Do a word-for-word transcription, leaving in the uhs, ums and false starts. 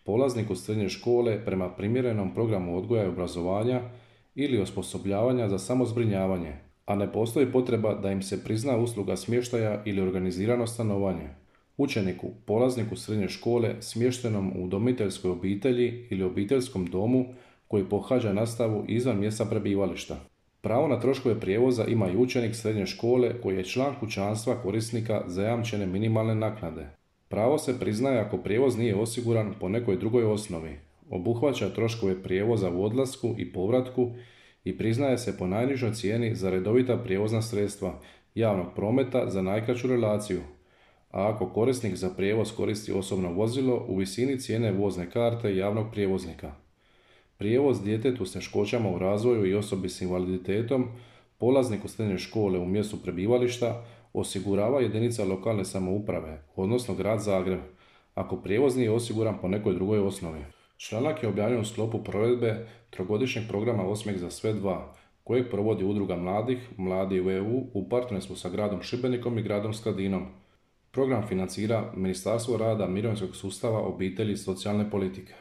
polazniku srednje škole prema primjerenom programu odgoja i obrazovanja ili osposobljavanja za samozbrinjavanje, a ne postoji potreba da im se prizna usluga smještaja ili organizirano stanovanje. Učeniku, polazniku srednje škole smještenom u udomiteljskoj obitelji ili obiteljskom domu koji pohađa nastavu izvan mjesta prebivališta. Pravo na troškove prijevoza ima i učenik srednje škole koji je član kućanstva korisnika zajamčene minimalne naknade. Pravo se priznaje ako prijevoz nije osiguran po nekoj drugoj osnovi, obuhvaća troškove prijevoza u odlasku i povratku i priznaje se po najnižoj cijeni za redovita prijevozna sredstva javnog prometa za najkraću relaciju, a ako korisnik za prijevoz koristi osobno vozilo u visini cijene vozne karte javnog prijevoznika. Prijevoz djetetu s teškoćama u razvoju i osobi s invaliditetom, polazniku srednje škole u mjestu prebivališta, osigurava jedinica lokalne samouprave, odnosno grad Zagreb, ako prijevoz nije osiguran po nekoj drugoj osnovi. Članak je objavljen u sklopu provedbe trogodišnjeg programa Osmijeh za sve dva, kojeg provodi Udruga mladih, Mladi u E U u partnerstvu sa gradom Šibenikom i gradom Skladinom. Program financira Ministarstvo rada, mirovinskog sustava, obitelji i socijalne politike.